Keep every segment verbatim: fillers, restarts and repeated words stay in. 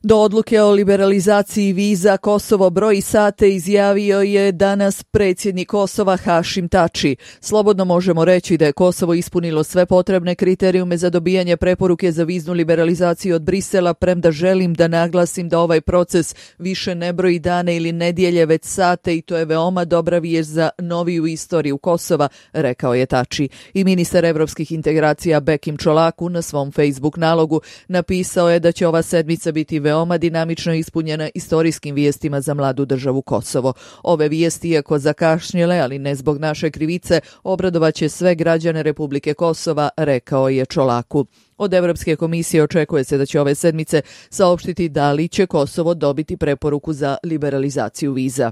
Do odluke o liberalizaciji viza Kosovo broji sate izjavio je danas predsjednik Kosova Hašim Tači. Slobodno možemo reći da je Kosovo ispunilo sve potrebne kriterijume za dobijanje preporuke za viznu liberalizaciju od Brisela, premda želim da naglasim da ovaj proces više ne broji dane ili nedjelje, već sate, i to je veoma dobra vijest za noviju istoriju Kosova, rekao je Tači. I ministar evropskih integracija Bekim Čolaku na svom Facebook nalogu napisao je da će ova sedmica biti veoma dinamično ispunjena istorijskim vijestima za mladu državu Kosovo. Ove vijesti, iako zakašnjele, ali ne zbog naše krivice, obradovaće sve građane Republike Kosova, rekao je Čolaku. Od Evropske komisije očekuje se da će ove sedmice saopštiti da li će Kosovo dobiti preporuku za liberalizaciju viza.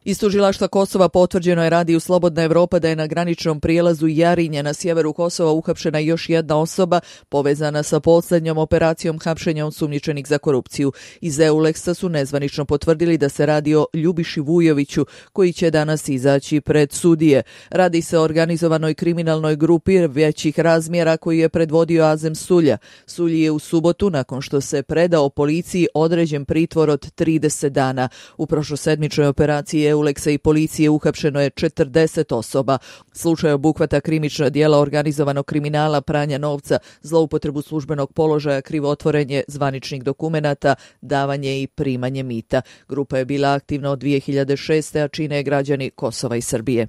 Iz tužilaštva Kosova potvrđeno je Radiju Slobodna Evropa da je na graničnom prijelazu Jarinje na sjeveru Kosova uhapšena još jedna osoba povezana sa posljednjom operacijom hapšenja osumnjičenih za korupciju. Iz Euleksa su nezvanično potvrdili da se radi o Ljubiši Vujoviću, koji će danas izaći pred sudije. Radi se o organizovanoj kriminalnoj grupi većih razmjera koji je predvodio Azem Sulja. Sulji je u subotu, nakon što se predao policiji, određen pritvor od trideset dana. U prošlosedmičnoj operaciji Euleksa i policije uhapšeno je četrdeset osoba. Slučaj obuhvata krivična djela organizovanog kriminala, pranja novca, zloupotrebu službenog položaja, krivotvorenje zvaničnih dokumenata, davanje i primanje mita. Grupa je bila aktivna od dvije hiljade šeste. a čine građani Kosova i Srbije.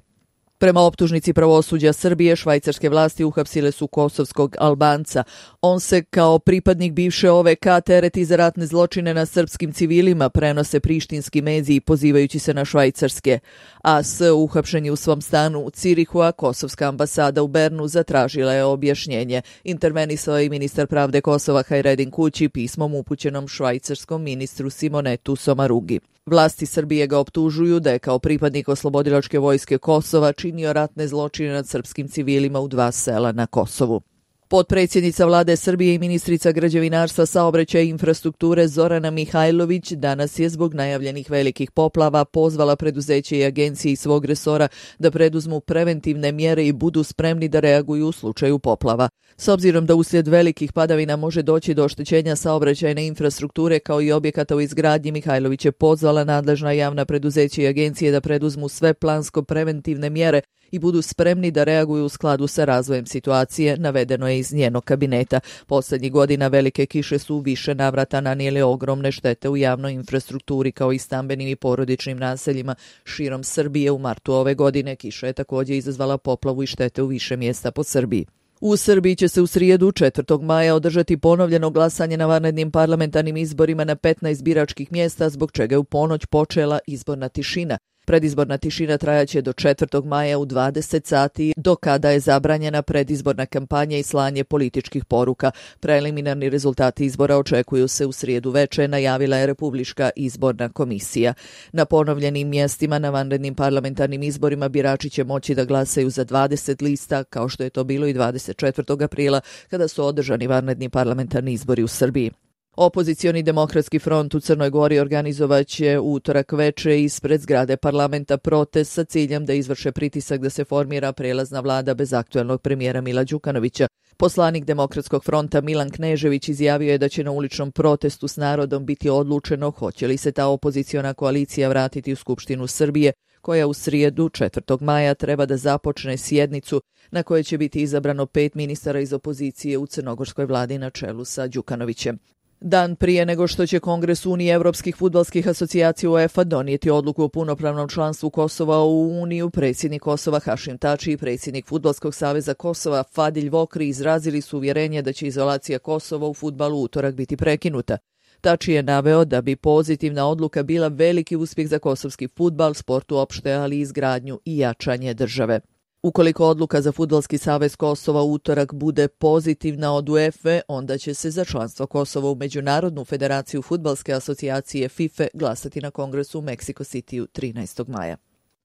Prema optužnici pravosuđa Srbije, švajcarske vlasti uhapsile su kosovskog Albanca. On se kao pripadnik bivše O V K tereti za ratne zločine na srpskim civilima, prenose prištinski mediji pozivajući se na švajcarske. A S uhapšen je u svom stanu u Cirihu, a kosovska ambasada u Bernu zatražila je objašnjenje. Intervenisao je i ministar pravde Kosova Hajredin Kući pismom upućenom švajcarskom ministru Simonetu Somarugi. Vlasti Srbije ga optužuju da je kao pripadnik oslobodilačke vojske Kosova činio ratne zločine nad srpskim civilima u dva sela na Kosovu. Potpredsjednica vlade Srbije i ministrica građevinarstva, saobraćaja i infrastrukture Zorana Mihajlović danas je zbog najavljenih velikih poplava pozvala preduzeće i agencije iz svog resora da preduzmu preventivne mjere i budu spremni da reaguju u slučaju poplava. S obzirom da uslijed velikih padavina može doći do oštećenja saobraćajne infrastrukture kao i objekata u izgradnji, Mihajlović je pozvala nadležna javna preduzeća i agencije da preduzmu sve plansko preventivne mjere i budu spremni da reaguju u skladu sa razvojem situacije, navedeno je iz njenog kabineta. Poslednjih godina velike kiše su u više navrata nanijele ogromne štete u javnoj infrastrukturi kao i stambenim i porodičnim naseljima širom Srbije. U martu ove godine kiša je također izazvala poplavu i štete u više mjesta po Srbiji. U Srbiji će se u srijedu četvrtog maja održati ponovljeno glasanje na vanrednim parlamentarnim izborima na petnaest biračkih mjesta, zbog čega je u ponoć počela izborna tišina. Predizborna tišina trajaće do četvrtog maja u dvadeset sati, do kada je zabranjena predizborna kampanja i slanje političkih poruka. Preliminarni rezultati izbora očekuju se u srijedu veče, najavila je Republička izborna komisija. Na ponovljenim mjestima na vanrednim parlamentarnim izborima birači će moći da glasaju za dvadeset lista, kao što je to bilo i dvadeset četvrtog aprila, kada su održani vanredni parlamentarni izbori u Srbiji. Opozicioni demokratski front u Crnoj Gori organizovaće utorak veče ispred zgrade parlamenta protest sa ciljem da izvrše pritisak da se formira prelazna vlada bez aktuelnog premijera Mila Đukanovića. Poslanik Demokratskog fronta Milan Knežević izjavio je da će na uličnom protestu s narodom biti odlučeno hoće li se ta opoziciona koalicija vratiti u Skupštinu Srbije, koja u srijedu četvrtog maja treba da započne sjednicu na kojoj će biti izabrano pet ministara iz opozicije u crnogorskoj vladi na čelu sa Đukanovićem. Dan prije nego što će Kongres Unije evropskih fudbalskih asocijacija UEFA donijeti odluku o punopravnom članstvu Kosova u Uniju, predsjednik Kosova Hašim Tači i predsjednik Fudbalskog saveza Kosova Fadilj Vokri izrazili su uvjerenje da će izolacija Kosova u fudbalu utorak biti prekinuta. Tači je naveo da bi pozitivna odluka bila veliki uspjeh za kosovski fudbal, sport uopšte, ali i izgradnju i jačanje države. Ukoliko odluka za Fudbalski savez Kosova utorak bude pozitivna od UEFA, onda će se za članstvo Kosova u Međunarodnu federaciju fudbalske asocijacije FIFA glasati na kongresu u Mexico Cityu trinaestog maja.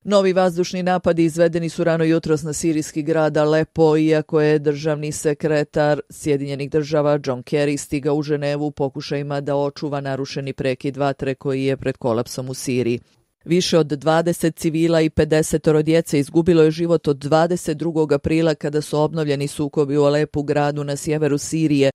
Novi vazdušni napadi izvedeni su rano jutros na sirijski grad Alepo, iako je državni sekretar Sjedinjenih država John Kerry stigao u Ženevu u pokušajima da očuva narušeni prekid vatre koji je pred kolapsom u Siriji. Više od dvadeset civila i pedeset djece izgubilo je život od dvadeset drugog aprila kada su obnovljeni sukobi u Alepu, gradu na sjeveru Sirije.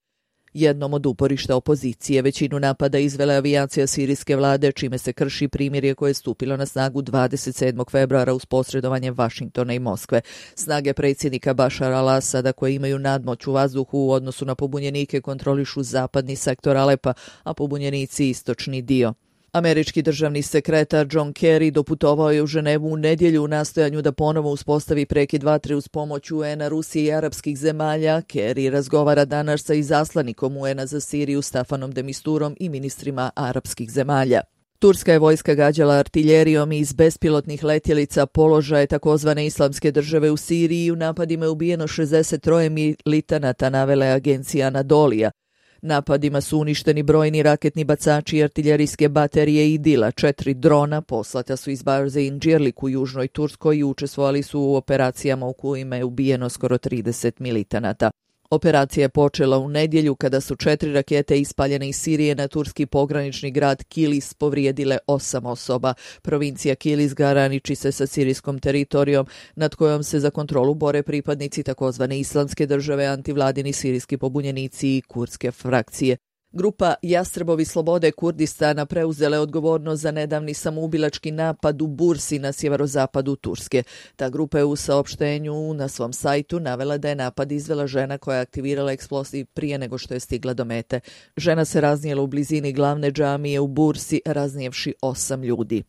jednom od uporišta opozicije. Većinu napada izvela avijacija sirijske vlade, čime se krši primirje koje je stupilo na snagu dvadeset sedmog februara uz posredovanje Vašingtona i Moskve. Snage predsjednika Bašara al-Asada, koje imaju nadmoć u vazduhu u odnosu na pobunjenike, kontrolišu zapadni sektor Alepa, a pobunjenici istočni dio. Američki državni sekretar John Kerry doputovao je u Ženevu u nedjelju u nastojanju da ponovo uspostavi prekid vatre uz pomoć U N-a, Rusije i arapskih zemalja. Kerry razgovara danas sa izaslanikom U N-a za Siriju Stafanom de Misturom i ministrima arapskih zemalja. Turska je vojska gađala artiljerijom iz bespilotnih letjelica položaje takozvane islamske države u Siriji i u napadima je ubijeno šezdeset tri militanata, navele agencija Anadolija. Napadima su uništeni brojni raketni bacači i artiljerijske baterije Idila. Četiri drona poslata su iz baze Incirlik u južnoj Turskoj i učestvovali su u operacijama u kojima je ubijeno skoro trideset militanata. Operacija je počela u nedjelju kada su četiri rakete ispaljene iz Sirije na turski pogranični grad Kilis povrijedile osam osoba. Provincija Kilis graniči se sa sirijskom teritorijom nad kojom se za kontrolu bore pripadnici takozvane islamske države, antivladini sirijski pobunjenici i kurdske frakcije. Grupa Jastrebovi slobode Kurdistana preuzele odgovornost za nedavni samoubilački napad u Bursi na sjeverozapadu Turske. Ta grupa je u saopštenju na svom sajtu navela da je napad izvela žena koja je aktivirala eksploziv prije nego što je stigla do mete. Žena se raznijela u blizini glavne džamije u Bursi, raznijevši osam ljudi.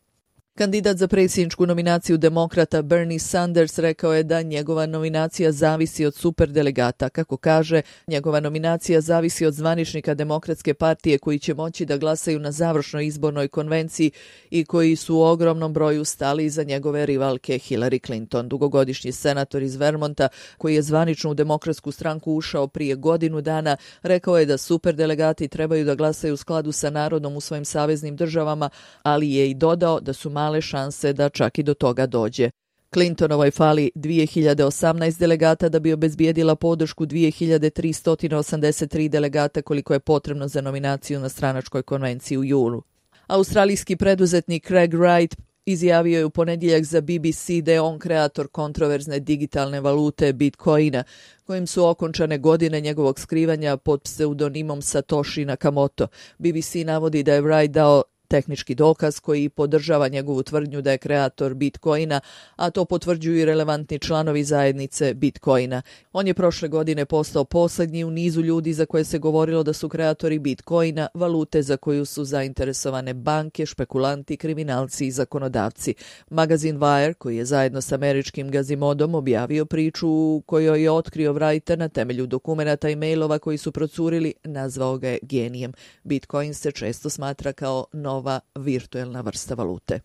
Kandidat za predsjedničku nominaciju demokrata Bernie Sanders rekao je da njegova nominacija zavisi od superdelegata. Kako kaže, njegova nominacija zavisi od zvaničnika Demokratske partije koji će moći da glasaju na završnoj izbornoj konvenciji i koji su u ogromnom broju stali iza njegove rivalke Hillary Clinton. Dugogodišnji senator iz Vermonta, koji je zvanično u Demokratsku stranku ušao prije godinu dana, rekao je da superdelegati trebaju da glasaju u skladu sa narodom u svojim saveznim državama, ali je i dodao da su male šanse da čak i do toga dođe. Clintonovoj fali dvije hiljade osamnaest delegata da bi obezbijedila podršku dvije hiljade tristo osamdeset tri delegata koliko je potrebno za nominaciju na stranačkoj konvenciji u julu. Australijski preduzetnik Craig Wright izjavio je u ponedjeljak za B B C da je on kreator kontroverzne digitalne valute Bitcoina, kojim su okončane godine njegovog skrivanja pod pseudonimom Satoshi Nakamoto. B B C navodi da je Wright dao tehnički dokaz koji podržava njegovu tvrdnju da je kreator Bitcoina, a to potvrđuju i relevantni članovi zajednice Bitcoina. On je prošle godine postao posljednji u nizu ljudi za koje se govorilo da su kreatori Bitcoina, valute za koju su zainteresovane banke, špekulanti, kriminalci i zakonodavci. Magazin Wire, koji je zajedno s američkim Gazimodom objavio priču u kojoj je otkrio Wrighta na temelju dokumenata i mailova koji su procurili, nazvao ga je genijem. Bitcoin se često smatra kao nova virtuelna vrsta valute.